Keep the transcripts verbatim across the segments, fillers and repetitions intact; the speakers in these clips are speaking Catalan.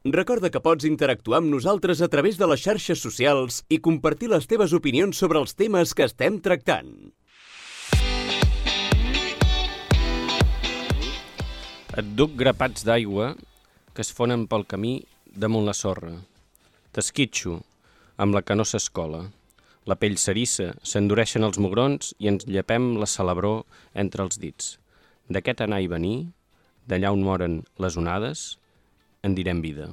Recorda que pots interactuar amb nosaltres a través de les xarxes socials i compartir les teves opinions sobre els temes que estem tractant. Et duc grapats d'aigua que es fonen pel camí damunt la sorra. T'esquitxo, amb la que no s'escola. La pell s'erissa, s'endureixen els mugrons i ens llepem la salabror entre els dits. D'aquest anar i venir, d'allà on moren les onades, en direm vida.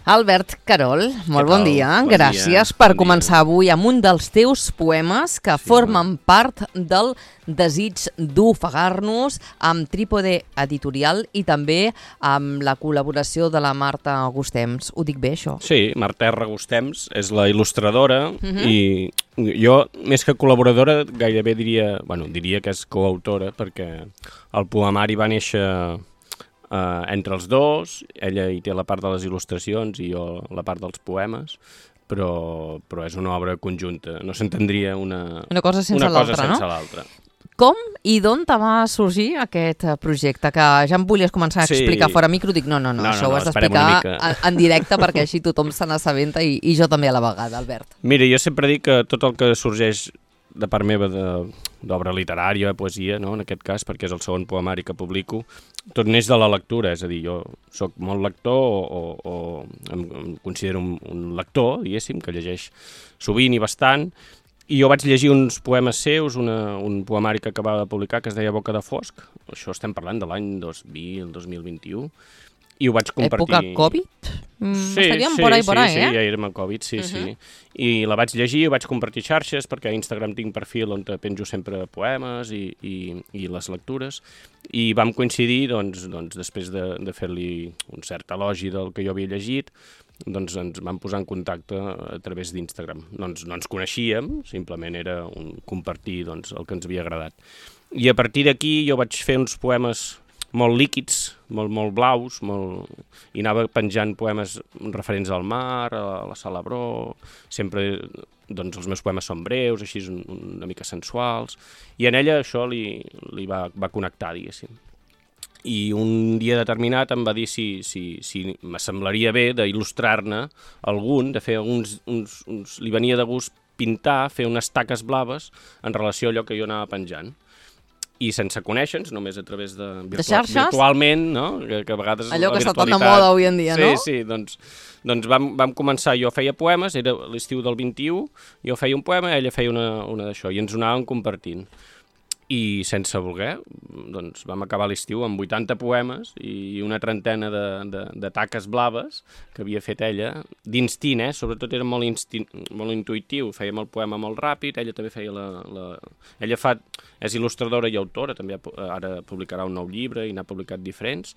Albert Carol, molt bon dia. Bon Gràcies dia, per bon començar dia. avui amb un dels teus poemes que Sí, formen part del desig d'ofegar-nos amb Trípode Editorial i també amb la col·laboració de la Marta Gustems. Ho dic bé, això? Sí, Marta R. Gustems és la il·lustradora uh-huh. i jo, més que col·laboradora, gairebé diria, bueno, diria que és coautora perquè el poemari va néixer Uh, entre els dos. Ella hi té la part de les il·lustracions i jo la part dels poemes, però, però és una obra conjunta. No s'entendria una, una cosa sense una cosa l'altra, sense no? l'altra. Com i d'on te va sorgir aquest projecte? Que ja em volies començar a explicar Sí. fora micro, dic no, no, no, No, això no, ho has no, esperem una d'explicar mica. en, en directe perquè així tothom se n'assabenta i, i jo també a la vegada, Albert. Mira, jo sempre dic que tot el que sorgeix de part meva d'obra literària, poesia, no? En aquest cas, perquè és el segon poemari que publico, tot neix de la lectura, és a dir, jo sóc molt lector o, o, o em, em considero un, un lector, diguéssim, que llegeix sovint i bastant, i jo vaig llegir uns poemes seus, una, un poemari que acabava de publicar que es deia Boca de Fosc, això estem parlant de l'any dos mil, dos mil vint-i-u, i ho vaig compartir... Època Covid? Mm, sí, estaríem sí, por ahí, sí, por ahí, sí, eh? ja érem a Covid, sí, Uh-huh. sí. I la vaig llegir, ho vaig compartir xarxes, perquè a Instagram tinc perfil on penjo sempre poemes i, i, i les lectures, i vam coincidir, doncs, doncs després de, de fer-li un cert elogi del que jo havia llegit, doncs ens vam posar en contacte a través d'Instagram. No ens, no ens coneixíem, simplement era un compartir doncs, el que ens havia agradat. I a partir d'aquí jo vaig fer uns poemes molt líquids, molt, molt blaus, molt... i anava penjant poemes referents al mar, a la salabror, sempre doncs, els meus poemes són breus, així un, una mica sensuals, i en ella això li, li va, va connectar, diguéssim. I un dia determinat em va dir si, si, si m'assemblaria bé d'il·lustrar-ne algun, de fer uns, uns, uns... li venia de gust pintar, fer unes taques blaves en relació a allò que jo anava penjant. I sense conèixer-nos, només a través de, virtua de xarxes? Virtualment, no? Que, que a vegades allò que la està tan de virtualitat... moda avui en dia, sí, no? Sí, sí, doncs, doncs vam, vam començar, jo feia poemes, era l'estiu del vint-i-u, jo feia un poema, ella feia una, una d'això, i ens ho anàvem compartint. I sense voler, doncs vam acabar l'estiu amb vuitanta poemes i una trentena de, de, de taques blaves que havia fet ella, d'instint, eh? Sobretot era molt, instint, molt intuïtiu, fèiem el poema molt ràpid, ella també feia la... la... Ella fa, és il·lustradora i autora, també ara publicarà un nou llibre i n'ha publicat diferents,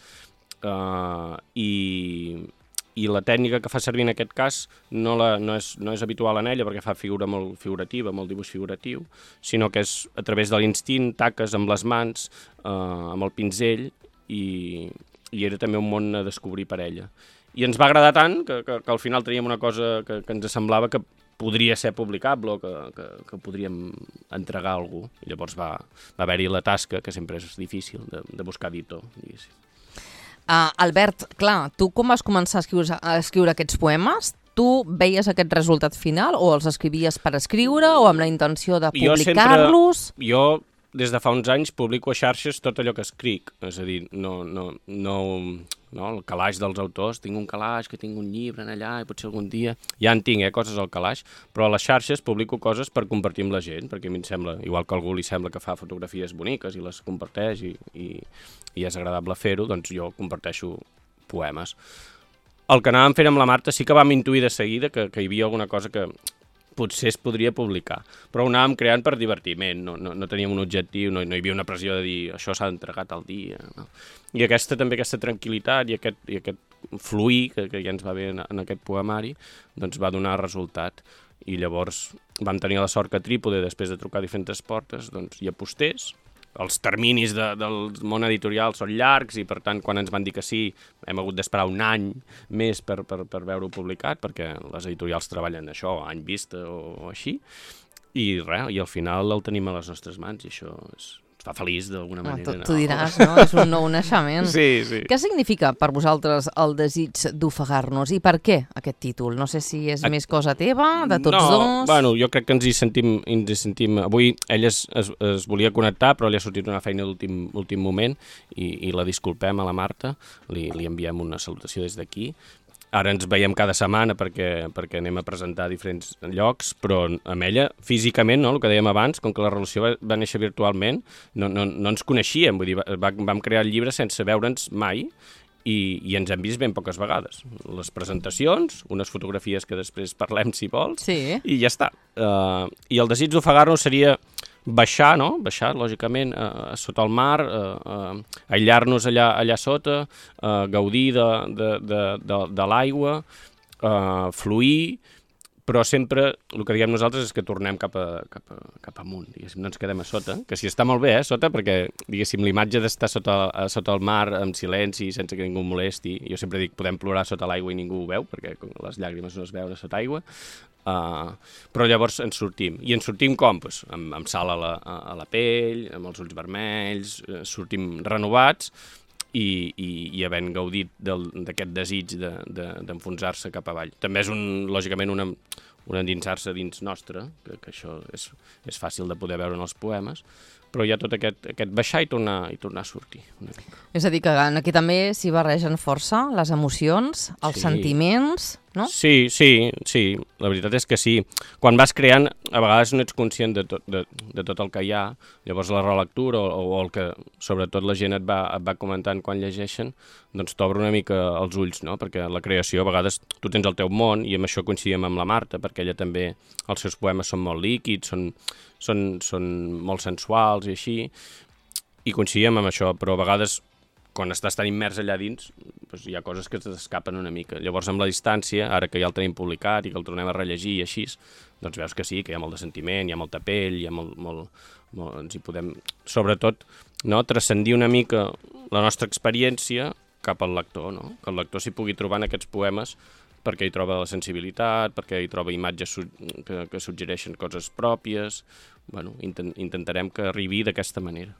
uh, i... i la tècnica que fa servir en aquest cas no, la, no, és, no és habitual en ella perquè fa figura molt figurativa, molt dibuix figuratiu, sinó que és a través de l'instint, taques amb les mans, eh, amb el pinzell, i, i era també un món a descobrir per ella. I ens va agradar tant que, que, que al final teníem una cosa que, que ens semblava que podria ser publicable o que, que, que podríem entregar a algú. I llavors va, va haver-hi la tasca, que sempre és difícil, de, de buscar editor, diguéssim. Uh, Albert, clar, tu com vas començar a escriure, a escriure aquests poemes? Tu veies aquest resultat final o els escrivies per escriure o amb la intenció de publicar-los? Jo, des de fa uns anys, publico a xarxes tot allò que escric. És a dir, no, no, no, no el calaix dels autors, tinc un calaix, que tinc un llibre en allà i potser algun dia... Ja en tinc, eh, coses al calaix, però a les xarxes publico coses per compartir amb la gent, perquè a mi em sembla, igual que a algú li sembla que fa fotografies boniques i les comparteix i, i, i és agradable fer-ho, doncs jo comparteixo poemes. El que anàvem fent amb la Marta sí que vam intuir de seguida que, que hi havia alguna cosa que potser es podria publicar, però ho anàvem creant per divertiment, no, no, no teníem un objectiu, no, no hi havia una pressió de dir això s'ha entregat al dia. No? I aquesta també, aquesta tranquil·litat i aquest, i aquest fluir que, que ja ens va bé en, en aquest poemari, doncs va donar resultat. I llavors vam tenir la sort que Trípode, després de trucar a diferents portes, doncs hi apostés. Els terminis de, del món editorial són llargs i, per tant, quan ens van dir que sí, hem hagut d'esperar un any més per, per, per veure-ho publicat, perquè les editorials treballen això, any vista o, o així, i res, i al final el tenim a les nostres mans i això és, fa feliç d'alguna manera. Tu, tu diràs, no? És un nou naixement. Sí, sí. Què significa per vosaltres el desig d'ofegar-nos i per què aquest títol? No sé si és a... més cosa teva, de tots no, dos... No, bueno, jo crec que ens hi sentim... Ens hi sentim... Avui ell es, es, es volia connectar, però li ha sortit una feina d'últim moment i, i la disculpem a la Marta, li, li enviem una salutació des d'aquí. Ara ens veiem cada setmana perquè, perquè anem a presentar a diferents llocs, però amb ella, físicament, no, el que dèiem abans, com que la relació va, va néixer virtualment, no, no, no ens coneixíem, vull dir, va, vam crear el llibre sense veure'ns mai i, i ens hem vist ben poques vegades. Les presentacions, unes fotografies que després parlem si vols, sí. I ja està. Uh, I el desig d'ofegar-nos seria baixar, no? Baixar, lògicament, uh, sota el mar, uh, uh, aïllar-nos allà, allà sota, uh, gaudir de, de, de, de, de l'aigua, uh, fluir, però sempre el que diem nosaltres és que tornem cap, a, cap, a, cap amunt, diguéssim, no ens quedem a sota, que si està molt bé, eh, sota, perquè, diguéssim, l'imatge d'estar sota, sota el mar amb silenci, sense que ningú molesti, jo sempre dic, podem plorar sota l'aigua i ningú ho veu, perquè les llàgrimes no es veuen sota aigua, uh, però llavors ens sortim. I ens sortim com? Pues, amb, amb sal a la, a la pell, amb els ulls vermells, uh, sortim renovats, I, i, i havent gaudit d'aquest desig d'enfonsar-se de, de, cap avall. També és, un, lògicament, una, un endinsar-se dins nostre, que, que això és, és fàcil de poder veure en els poemes, però hi ha tot aquest, aquest baixar i tornar, i tornar a sortir. Una mica. És a dir, que aquí també s'hi barregen força les emocions, els sí. sentiments, no? Sí, sí, sí, la veritat és que sí. Quan vas creant, a vegades no ets conscient de tot, de, de tot el que hi ha, llavors la relectura o, o el que sobretot la gent et va, et va comentant quan llegeixen, doncs t'obre una mica els ulls, no? Perquè la creació, a vegades tu tens el teu món, i amb això coincidíem amb la Marta, perquè ella també, els seus poemes són molt líquids, són, són, són molt sensuals i així, i coincidíem amb això, però a vegades quan estàs tan immers allà dins, doncs hi ha coses que t'escapen una mica. Llavors, amb la distància, ara que ja el tenim publicat i que el tornem a rellegir i així, doncs veus que sí, que hi ha molt de sentiment, hi ha molta pell, hi ha molt... molt, molt ens hi podem, sobretot, no, transcendir una mica la nostra experiència cap al lector, no? Que el lector s'hi pugui trobar en aquests poemes perquè hi troba la sensibilitat, perquè hi troba imatges que, que suggereixen coses pròpies. Bueno, intent, intentarem que arribi d'aquesta manera.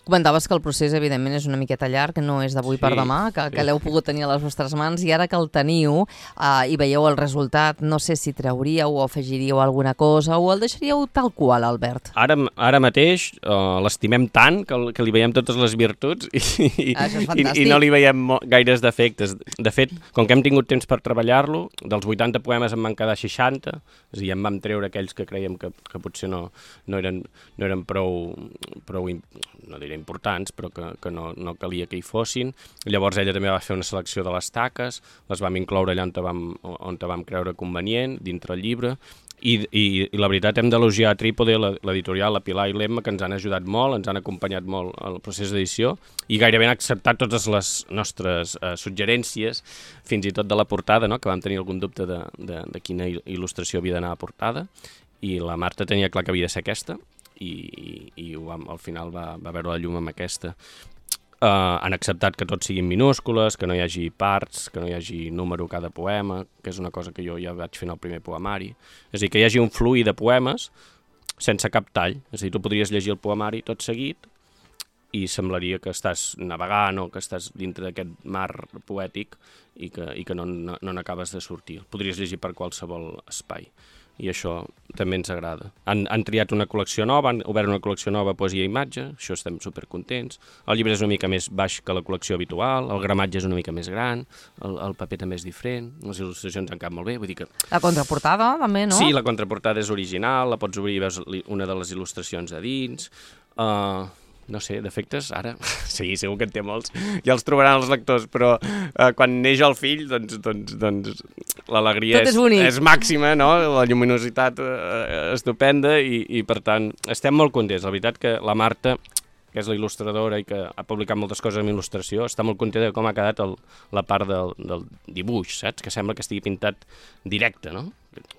Comentaves que el procés, evidentment, és una miqueta llarg, que no és d'avui sí, per demà, que, sí. que l'heu pogut tenir a les vostres mans, i ara que el teniu eh, i veieu el resultat, no sé si trauríeu o afegiríeu alguna cosa o el deixaríeu tal qual, Albert? Ara, ara mateix uh, l'estimem tant que, que li veiem totes les virtuts i, i, i, i no li veiem gaires defectes. De fet, com que hem tingut temps per treballar-lo, dels vuitanta poemes en van quedar seixanta, és a dir, en vam treure aquells que creiem que, que potser no, no eren, no eren prou, prou, no diré importants, però que, que no, no calia que hi fossin. Llavors ella també va fer una selecció de les taques, les vam incloure allà on vam, on vam creure convenient, dintre el llibre, i, i, i la veritat hem d'elogiar a Trípode, l'editorial, la Pilar i l'Emma, que ens han ajudat molt, ens han acompanyat molt al procés d'edició, i gairebé han acceptat totes les nostres eh, suggerències, fins i tot de la portada, no? Que vam tenir algun dubte de, de, de quina il·lustració havia d'anar a portada, i la Marta tenia clar que havia de ser aquesta, i, i, i vam, al final va, va veure la llum amb aquesta. Uh, han acceptat que tots siguin minúscules, que no hi hagi parts, que no hi hagi número cada poema, que és una cosa que jo ja vaig fer en el primer poemari. És a dir, que hi hagi un fluir de poemes sense cap tall. És a dir, tu podries llegir el poemari tot seguit i semblaria que estàs navegant o que estàs dintre d'aquest mar poètic i que, i que no, no, no n'acabes de sortir. El podries llegir per qualsevol espai. I això també ens agrada. Han, han triat una col·lecció nova, han obert una col·lecció nova, poesia i imatge, això estem supercontents. El llibre és una mica més baix que la col·lecció habitual, el gramatge és una mica més gran, el, el paper també és diferent, les il·lustracions han quedat molt bé, vull dir que... La contraportada també, no? Sí, la contraportada és original, la pots obrir i veus una de les il·lustracions a dins... Uh... No sé, defectes, ara, sí, segur que en té molts, ja els trobaran els lectors, però eh, quan neix el fill, doncs, doncs, doncs l'alegria és, és, és màxima, no? La lluminositat eh, estupenda i, i, per tant, estem molt contents. La veritat que la Marta, que és la il·lustradora i que ha publicat moltes coses amb il·lustració, està molt contenta de com ha quedat el, la part del, del dibuix, saps? Que sembla que estigui pintat directe, no?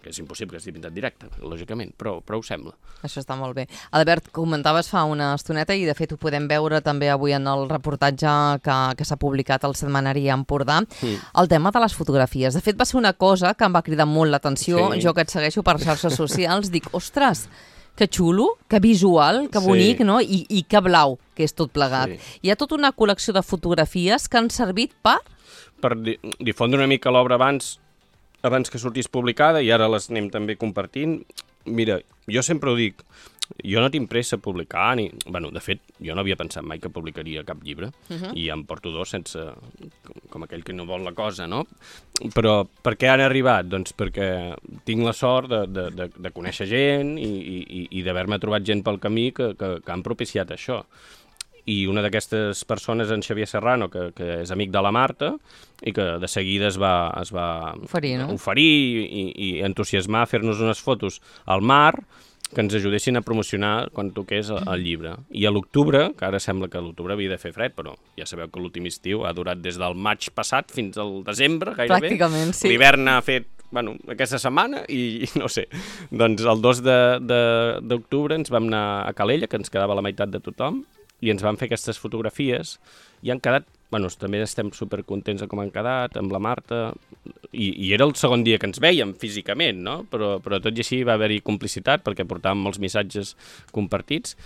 Que és impossible que estigui pintat directe, lògicament, però, però ho sembla. Això està molt bé. Albert, comentaves fa una estoneta i de fet ho podem veure també avui en el reportatge que, que s'ha publicat al setmanari Empordà, mm. el tema de les fotografies. De fet va ser una cosa que em va cridar molt l'atenció, sí. Jo que et segueixo per xarxes socials, dic, ostres, Que xulo, que visual, que bonic, Sí. no? I, I que blau, que és tot plegat. Sí. Hi ha tota una col·lecció de fotografies que han servit per... Per di difondre una mica l'obra abans, abans que sortís publicada, i ara les anem també compartint. Mira, jo sempre ho dic, jo no tinc pressa a publicar, ni... Bueno, de fet, jo no havia pensat mai que publicaria cap llibre, uh-huh. i em porto dos sense... com aquell que no vol la cosa, no? Però per què han arribat? Doncs perquè tinc la sort de, de, de, de conèixer gent i, i, i d'haver-me trobat gent pel camí que, que, que han propiciat això. I una d'aquestes persones, en Xavier Serrano, que, que és amic de la Marta, i que de seguida es va, es va Oferir, no? oferir i, i entusiasmar a fer-nos unes fotos al mar que ens ajudessin a promocionar quan toqués el, el llibre. I a l'octubre, que ara sembla que a l'octubre havia de fer fred, però ja sabeu que l'últim estiu ha durat des del maig passat fins al desembre, gairebé. Pràcticament, sí. L'hivern ha fet, bueno, aquesta setmana i, i no sé. Doncs el dos d'octubre ens vam anar a Calella, que ens quedava la meitat de tothom, i ens van fer aquestes fotografies i han quedat, bueno, també estem supercontents de com han quedat, amb la Marta, i, i era el segon dia que ens veiem físicament, no? Però, però tot i així va haver-hi complicitat perquè portàvem molts missatges compartits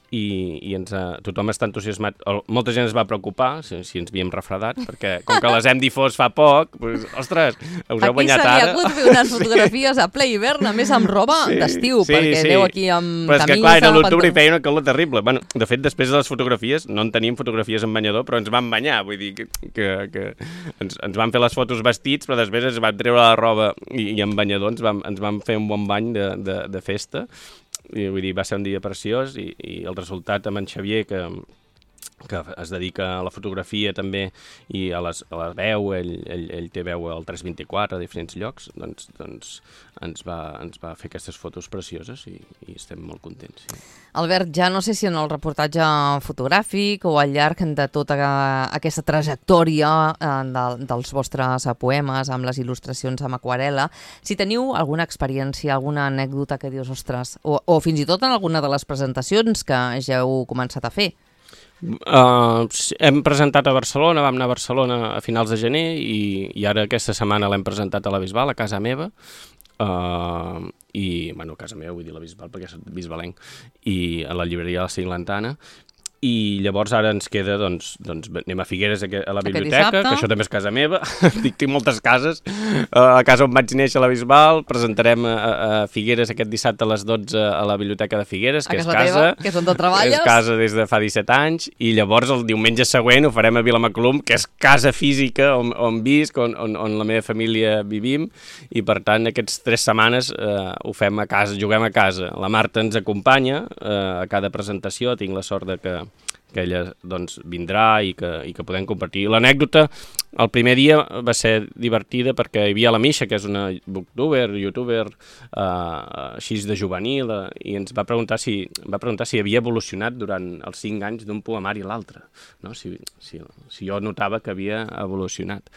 i, i ens ha, tothom està entusiasmat. Molta gent es va preocupar si, si ens havíem refredat, perquè com que les hem difós fa poc, doncs, ostres, us heu guanyat ara. Aquí se li ha hagut fer unes fotografies a ple hivern, a més amb roba Sí, d'estiu, sí, perquè sí. aneu aquí amb Però és que, camisa... clar, era l'octubre i pantaló. feia una calor terrible. Bueno, de fet, després de les fotografies, no en teníem fotografies en banyador, però ens vam banyar, vull dir que, que, que ens, ens van fer les fotos vestits, però després ens van treure la roba i, i en banyador ens vam, ens vam fer un bon bany de, de, de festa. I, vull dir, va ser un dia preciós i, i el resultat amb en Xavier, que, que es dedica a la fotografia també i a, les, a la veu, ell, ell, ell té veu al tres vint-i-quatre a diferents llocs, doncs, doncs ens, va, ens va fer aquestes fotos precioses i, i estem molt contents. Sí. Albert, ja no sé si en el reportatge fotogràfic o al llarg de tota aquesta trajectòria eh, de, dels vostres poemes amb les il·lustracions amb aquarel·la, si teniu alguna experiència, alguna anècdota que dius, ostres, o, o fins i tot en alguna de les presentacions que ja heu començat a fer. Uh, hem presentat a Barcelona, vam anar a Barcelona a finals de gener i, i ara aquesta setmana l'hem presentat a la Bisbal, a casa meva. Uh, i, bueno, a casa meva vull dir la Bisbal perquè soc bisbalenc, i a la llibreria de la Cinglantana. I llavors ara ens queda, doncs, doncs anem a Figueres a la biblioteca, que això també és casa meva, dic, tinc moltes cases, a la casa on vaig néixer a la Bisbal, presentarem a, a Figueres aquest dissabte a les dotze a la biblioteca de Figueres, que és casa, teva, que és on treballes. És casa des de fa disset anys, i llavors el diumenge següent ho farem a Vilamaclum, que és casa física on, on visc, on, on, on la meva família vivim, i per tant aquestes tres setmanes eh, ho fem a casa, juguem a casa. La Marta ens acompanya eh, a cada presentació, tinc la sort de que que ella doncs, vindrà i que, i que podem compartir. L'anècdota, el primer dia va ser divertida perquè hi havia la Misha, que és una booktuber, youtuber, eh, així de juvenil, eh, i ens va preguntar si, va preguntar si havia evolucionat durant els cinc anys d'un poemari a l'altre, no? si, si, si jo notava que havia evolucionat.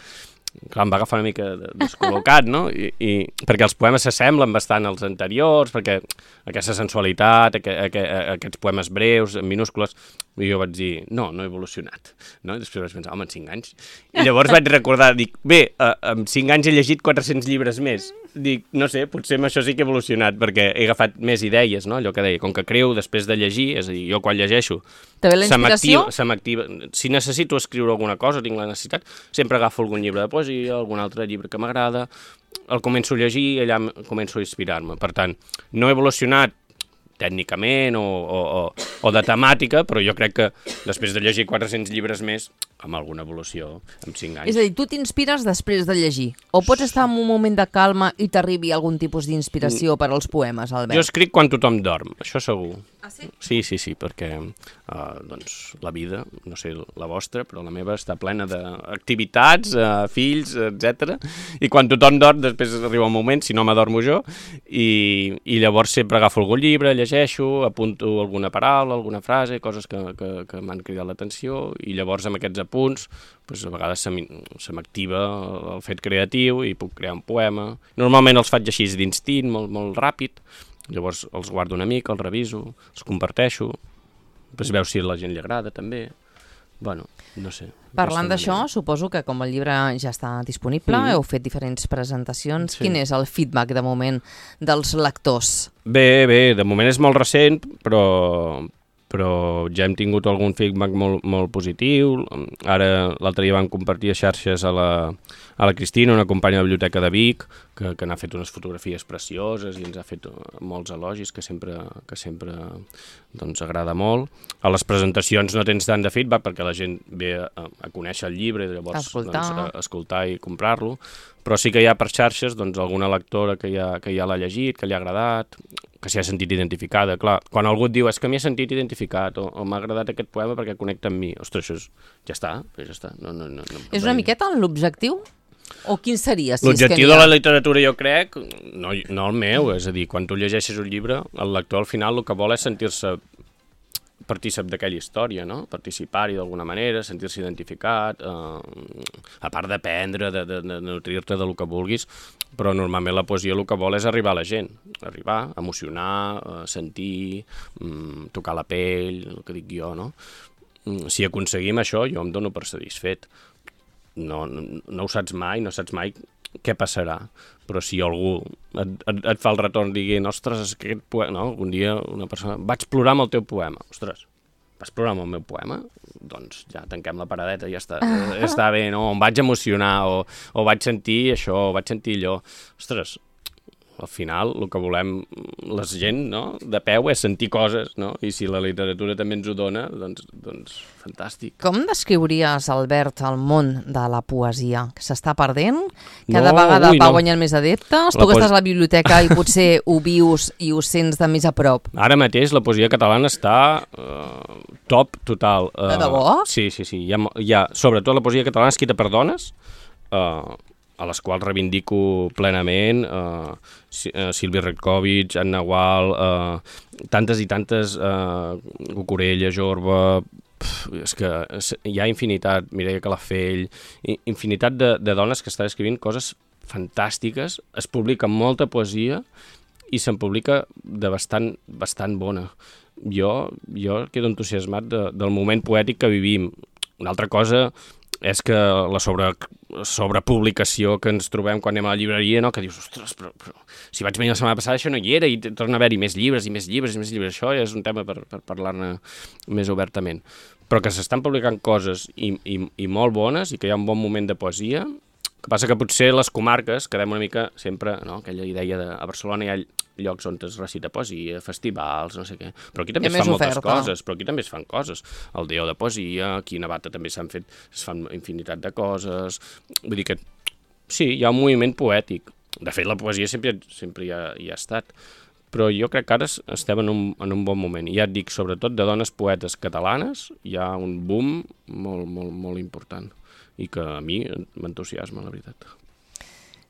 Clar, em va agafar una mica descol·locat, no? I, i, perquè els poemes s'assemblen bastant als anteriors, perquè aquesta sensualitat, aqu aqu aquests poemes breus, en minúscules, i jo vaig dir, no, no he evolucionat. No? I després vaig pensar, home, en cinc anys. I llavors vaig recordar, dic, bé, eh, en cinc anys he llegit quatre-cents llibres més. Dic, no sé, potser amb això sí que he evolucionat, perquè he agafat més idees, no? Allò que deia, com que creo després de llegir, és a dir, jo quan llegeixo, se m'activa. Si necessito escriure alguna cosa, tinc la necessitat, sempre agafo algun llibre de poesia, algun altre llibre que m'agrada, el començo a llegir i allà començo a inspirar-me. Per tant, no he evolucionat tècnicament o, o, o, o de temàtica, però jo crec que després de llegir quatre-cents llibres més, amb alguna evolució, en cinc anys. És a dir, tu t'inspires després de llegir? O pots estar en un moment de calma i t'arribi algun tipus d'inspiració per als poemes, Albert? Jo escric quan tothom dorm, això segur. Ah, sí? Sí, sí, sí, perquè uh, doncs, la vida, no sé la vostra, però la meva està plena d'activitats, uh, fills, etcètera. I quan tothom dorm, després arriba un moment, si no m'adormo jo, i, i llavors sempre agafo algun llibre, llegeixo, apunto alguna paraula, alguna frase, coses que, que, que m'han cridat l'atenció, i llavors amb aquests apunts, doncs a vegades se m'activa el fet creatiu i puc crear un poema. Normalment els faig així d'instint, molt, molt ràpid, llavors els guardo una mica, els reviso, els comparteixo, després veus si a la gent li agrada també, bueno, no sé. Parlant d'això, suposo que com el llibre ja està disponible, mm. heu fet diferents presentacions. Sí. Quin és el feedback de moment dels lectors? Bé, bé, de moment és molt recent, però, però ja hem tingut algun feedback molt, molt positiu. Ara l'altre dia vam compartir a xarxes a la, a la Cristina, una companya de la Biblioteca de Vic, que, que n'ha fet unes fotografies precioses i ens ha fet molts elogis, que sempre, que sempre doncs, agrada molt. A les presentacions no tens tant de feedback perquè la gent ve a, a conèixer el llibre i llavors escoltar. Doncs, a, a escoltar i comprar-lo, però sí que hi ha per xarxes doncs, alguna lectora que ja, que ja l'ha llegit, que li ha agradat, que s'hi ha sentit identificada. Clar, quan algú et diu és que m'hi he sentit identificat o, o m'ha agradat aquest poema perquè connecta amb mi, ostres, això és, ja està, ja està. No, no, no, no, és una miqueta l'objectiu? O quin seria? Si L'objectiu és que de la literatura, jo crec, no, no el meu, és a dir, quan tu llegeixes un llibre, el lector al final el que vol és sentir-se partícip d'aquella història, no? Participar-hi d'alguna manera, sentir-se identificat, eh, a part d'aprendre, de, de, de nutrir-te del que vulguis, però normalment la poesia el que vol és arribar a la gent, arribar, emocionar, eh, sentir, mm, tocar la pell, el que dic jo, no? Si aconseguim això, jo em dono per satisfet. No, no, no ho saps mai, no saps mai què passarà, però si algú et, et, et fa el retorn dient, ostres, aquest poema, no? Un dia una persona, vaig plorar amb el teu poema, ostres, vas plorar amb el meu poema? Doncs ja tanquem la paradeta i ja està, està bé, no? Em vaig emocionar, o, o vaig sentir això, o vaig sentir allò, ostres, al final el que volem la gent, no? De peu és sentir coses, no? I si la literatura també ens ho dona, doncs, doncs fantàstic. Com descriuries, Albert, el món de la poesia? Que s'està perdent? Cada no, vegada ui, va no. guanyant més adeptes? La tu que poes... estàs a la biblioteca i potser ho vius i ho sents de més a prop. Ara mateix la poesia catalana està uh, top total. Uh, de debò? Sí, sí, sí. Hi ha, hi ha, sobretot la poesia catalana escrita per dones, uh, a les quals reivindico plenament, uh, Sílvia Retkovich, Anna Gual, uh, tantes i tantes, uh, Cucurella, Jorba, pf, és que hi ha infinitat, Mireia Calafell, infinitat de, de dones que estan escrivint coses fantàstiques, es publica molta poesia i se'n publica de bastant, bastant bona. Jo, jo quedo entusiasmat de, del moment poètic que vivim. Una altra cosa és que la sobre, sobrepublicació que ens trobem quan anem a la llibreria, no? Que dius, ostres, però, però si vaig venir la setmana passada això no hi era i torna a haver-hi més llibres i més llibres i més llibres. Això ja és un tema per, per parlar-ne més obertament. Però que s'estan publicant coses i, i, i molt bones i que hi ha un bon moment de poesia. El que passa que potser les comarques quedem una mica sempre, no? Aquella idea de a Barcelona hi ha llocs on es recita poesia, festivals, no sé què. Però aquí també es fan moltes oferta. coses, però aquí també es fan coses. El Déu de Poesia, aquí a Navata també s'han fet, es fan infinitat de coses. Vull dir que sí, hi ha un moviment poètic. De fet, la poesia sempre, sempre hi, ha, hi ha estat. Però jo crec que ara estem en un, en un bon moment. I ja et dic, sobretot de dones poetes catalanes, hi ha un boom molt, molt, molt important i que a mi m'entusiasma, la veritat.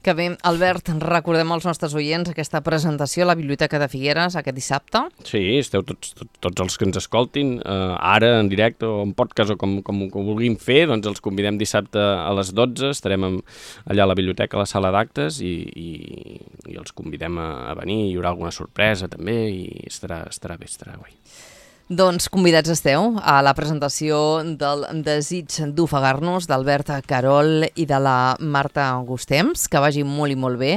Que bé, Albert, recordem als nostres oients aquesta presentació a la Biblioteca de Figueres aquest dissabte. Sí, esteu tots, tots, tots els que ens escoltin, eh, ara en directe o en podcast o com, com, com ho vulguin fer, doncs els convidem dissabte a les dotze, estarem amb, allà a la biblioteca, a la sala d'actes i, i, i els convidem a, a venir, hi haurà alguna sorpresa també i estarà, estarà bé, estarà guai. Doncs convidats esteu a la presentació del Desig d'ofegar-nos d'Albert Carol i de la Marta Gustems, que vagi molt i molt bé,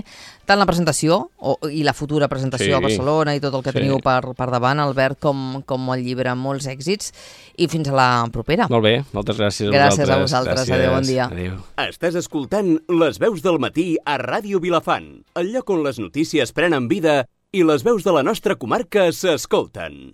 tant la presentació o, i la futura presentació sí. a Barcelona i tot el que sí. teniu per, per davant, Albert, com, com el llibre, molts èxits, i fins a la propera. Molt bé, moltes gràcies a gràcies vosaltres. Gràcies a vosaltres, gràcies. Adéu, bon dia. Adéu. Estàs escoltant Les veus del matí a Ràdio Vilafant, el lloc on les notícies prenen vida i les veus de la nostra comarca s'escolten.